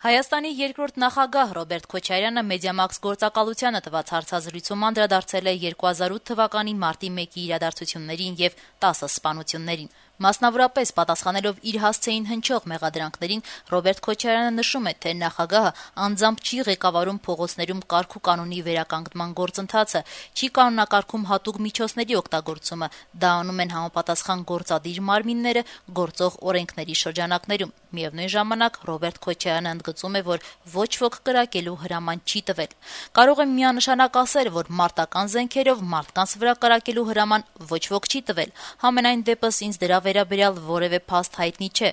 Հայաստանի երկրորդ նախագահ Ռոբերտ Քոչարյանը Մեդիամաքս գործակալությանը տված հարցազրույցում անդրադարձել է 2008 թվականի մարտի 1-ի իրադարձություններին եւ 10 սպանություններին։ Մասնավորապես պատասխանելով իր հասցեին հնչող մեղադրանքներին, Ռոբերտ Քոչարյանը նշում է, թե նախագահը անձամբ չի ղեկավարում փողոցներում կարգ ու կանոնի վերականգնման գործընթացը, չի կանոնակարգում հատուկ միջոցների օգտագործումը, դա անում են համապատասխան գործադիր մարմինները գործող օրենքների շրջանակներում։ Միևնույն ժամանակ Ռոբերտ Քոչարյանը ընդգծում է, որ ոչ ոք կրակելու հրաման չի տվել։ Կարող եմ միանշանակ ասել, որ մարտական զենքերով մարդկանց վրա կրակելու հրաման ոչ ոք չի տվել։ Համենայն դեպս ինձ դրա վերաբերյալ որևէ փաստ հայտնի չէ։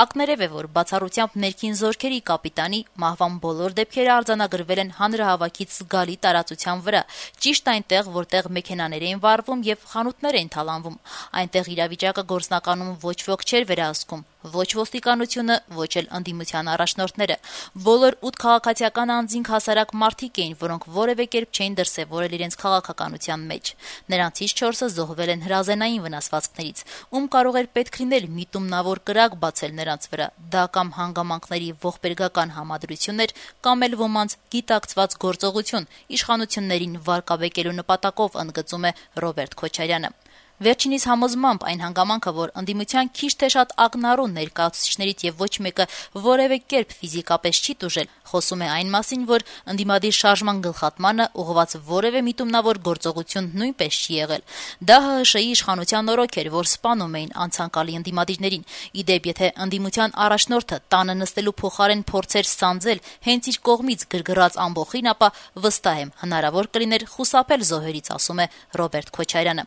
Ակներև է, որ բացառությամբ ներքին զորքերի կապիտանի մահվան բոլոր դեպքերը արձանագրվել են հանրահավաքից զգալի տարածության վրա, ճիշտ այնտեղ, որտեղ մեքենաներ էին վառվում եւ խանութներ էին թալանվում։ Այնտեղ իրավիճակը գործնականում ոչ ոք չէր վերահսկում։ Ոչ ոստիկանությունը, ոչ էլ ընդդիմության առաջնորդները։ Բոլոր 8 քաղաքացիական անձինք հասարակ մարդիկ էին, որոնք որևէ կերպ չէին դրսևորել իրենց քաղաքականության մեջ։ Նրանցից 4-ը զոհվել են հրազենային վնասվածքներից։ Ում կարող էր պետք լինել միտումնավոր կրակ բացել նրանց վրա։ Դա կամ հանգամանքների ողբերգական համադրություն էր, կամ էլ ոմանց գիտակցված գործողություն, իշխանություններին վարկաբեկելու նպատակով, ընդգծում է Ռոբերտ Քոչարյանը։ Վերջինիս համոզմամբ այն հանգամանքը, որ ընդդիմության քիչ թե շատ ակնառու ներկայացուցիչներից եւ ոչ մեկը որևէ կերպ ֆիզիկապես չի տուժել, խոսում է այն մասին, որ ընդդիմադիր շարժման գլխատմանը ուղղված որևէ միտումնավոր գործողություն նույնպես չի եղել։ Դա ՀՀՇ-ի իշխանության օրոք էր, որ սպանում էին անցանկալի ընդդիմադիրներին։ Իդեպ, եթե ընդդիմության առաջնորդը տանը նստելու փոխարեն փորձեր սանձել հենց իր կողմից գրգռած ամբոխին, ապա վստահ եմ, հնարավոր կլիներ խուսափել զոհերից, ասում է Ռոբերտ Քոչարյանը։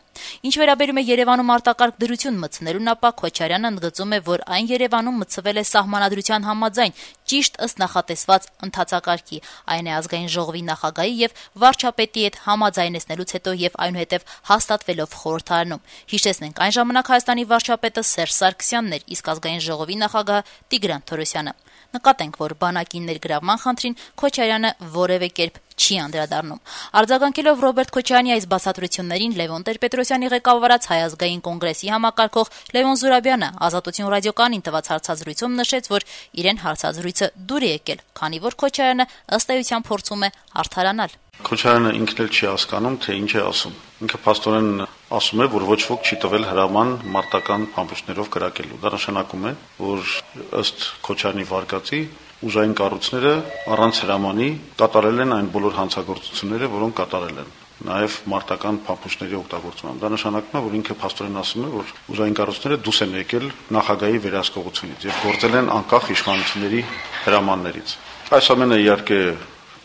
Ինչ վերաբերում է Երևանում արտակարգ դրություն մտցնելուն, ապա Քոչարյանը ընդգծում է, որ այն Երևանում մտցվել է սահմանադրության համաձայն, ճիշտ ըստ նախատեսված ընթացակարգի, այն է ազգային ժողովի նախագահի եւ վարչապետի հետ համաձայնեցնելուց հետո եւ այնուհետեւ հաստատվելով խորհրդարանում։ Հիշեցնենք, այն ժամանակ Հայաստանի վարչապետը Սերժ Սարգսյանն էր, իսկ ազգային ժողովի նախագահը Տիգրան Թորոսյանը։ Նկատենք, որ բանակի ներգրավման խնդրին Քոչարյանը որևէ կերպ չի անդրադառնում։ Արձագանքելով Ռոբերտ Քոչարյանի այս բացատրություններին, Լևոն Տեր-Պետրոսյանի ղեկավարած Հայ ազգային կոնգրեսի համակարգող Լևոն Զուրաբյանը Ազատություն ռադիոկայանին տված հարցազրույցում նշեց, որ իրեն հարցազրույցը դուր է եկել, քանի որ Քոչարյանը ըստ էության փորձում է արդարանալ։ Քոչարյանը ինքն էլ չի հասկանում, թե ինչ է ասում։ Ինքը փաստորեն ասում է, որ ոչ ոք չի տվել հրաման մարտական փամփուշտներով կրակելու։ Դա նշանակում է, որ ըստ Քոչարյանի վարկածի ուժային կառույցները առանց հրամանի կատարել են այն բոլոր հանցագործությունները, որոնք կատարել են, նաև մարտական փամփուշտների օգտագործմամբ։ Դա նշանակում է, որ ինքը փաստորեն ասում է, որ ուժային կառույցները դուրս են եկել նախագահի վերահսկողությունից եւ գործել են անկախ իշխանությունների հրամաններից։ Այս ամենը իհարկե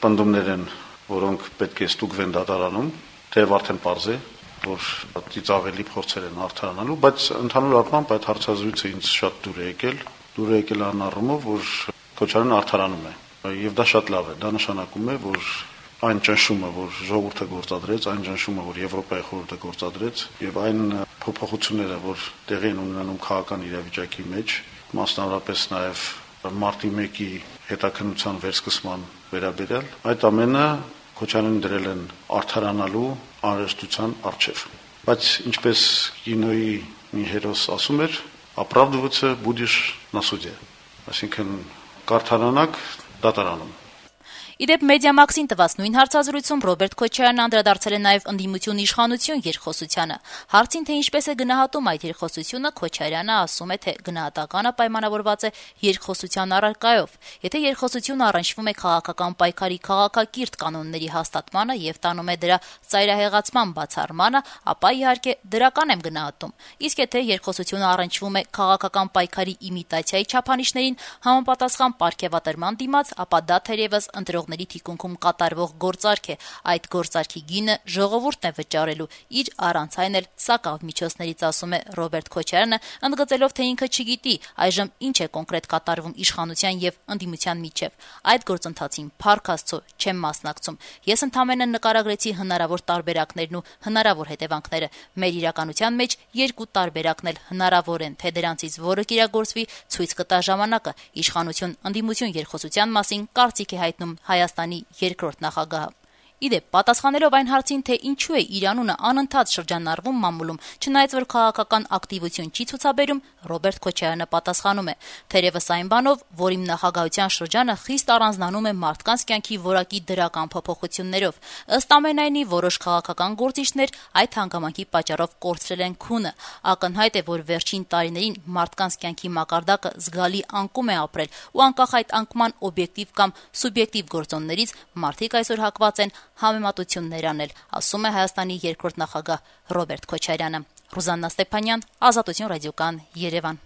պնդումներ են, որոնք պետք է ստուգվեն դատարանում, թեև արդեն պարզ է, որ ծիծաղելի փորձեր են արդարանալու, բայց ընդհանուր առմամբ այդ հարցազրույցը ինձ շատ դուր է եկել այն առումով, որ Քոչարյանը արդարանում է, եւ դա շատ լավ է, դա նշանակում է, որ այն ճնշումը, որ ժողովուրդը գործադրեց, այն ճնշումը, որ Եվրոպայի խորհուրդը գործադրեց, եւ այն փոփոխությունները, որ տեղի են ունենում քաղաքական իրավիճակի մեջ, մասնավորապես նաեւ մարտի 1-ի հետաքննության վերսկսման վերաբերյալ, այդ ամենը Քոչարյանին դրել են արդարանալու անհրաժեշտության առջև։ Բայց ինչպես կինոյի մի հերոս ասում էր, «Оправдываться будешь на суде», այսինքն կարդարանակ դատարանում։ Իդեպ Մեդիամաքսին տված նույն հարցազրույցում Ռոբերտ Քոչարյանը անդրադարձել է նաև ընդդիմություն իշխանություն երկխոսությանը։ Հարցին, թե ինչպես է գնահատում այդ երկխոսությունը, Քոչարյանը ասում է, թե գնահատականը պայմանավորված է երկխոսության առարկայով։ Եթե երկխոսությունը առնչվում է քաղաքական պայքարի քաղաքակիրթ կանոնների հաստատմանը եւ տանում է դրա ծայրահեղացման բացառմանը, ապա իհարկե դրական եմ գնահատում։ Իսկ եթե երկխոսությունը առնչվում է քաղաքական պայքարի իմիտացիայի չափանիշներին համապատասխան պարգևատրման դիմաց, ապա դա թերևս ընտրողների թիկունքում կատարվող գործարք է, այդ գործարքի գինը ժողովուրդն է վճարելու իր առանց այն էլ սակավ միջոցներից, ասում է Ռոբերտ Քոչարյանը, ընդգծելով, թե ինքը չգիտի այժմ ինչ է կոնկրետ կատարվում իշխանության եւ ընդդիմության միջեւ։ Այդ գործընթացին փառք Աստծո չեմ մասնակցում։ Ես ընդամենը նկարագրեցի հնարավոր տարբերակներն ու հնարավոր հետևանքները։ Մեր իրականության մեջ երկու տարբերակն էլ հնարավոր են, թե դրանցից որը կիրագործվի, ցույց կտա ժամանակը։ Իշխանություն ընդդիմություն երկխոսության մասին կարծիք է հայտնում Հայաստանի երկրորդ նախագահը։ Իդեպ, պատասխանելով այն հարցին, թե ինչու է իր անունը անընդհատ շրջանառվում մամուլում, չնայած որ քաղաքական ակտիվություն չի ցուցաբերում, Ռոբերտ Քոչարյանը պատասխանում է. թերևս այն բանով, որ իմ նախագահության շրջանը խիստ առանձնանում է մարդկանց կյանքի որակի դրական փոփոխություններով։ Ըստ ամենայնի, որոշ քաղաքական գործիչներ այդ հանգամանքի պատճառով կորցրել են քունը։ Ակնհայտ է, որ վերջին տարիներին մարդկանց կյանքի մակարդակը զգալի անկում է ապրել, ու անկախ այդ անկման օբյեկտիվ կամ սուբյեկտիվ գործոններից մարդիկ այսօր հակված են համեմատություններ անել, ասում է Հայաստանի երկրորդ նախագահ Ռոբերտ Քոչարյանը։ Ռուզաննա Ստեփանյան, Ազատություն ռադիոկան, Երևան։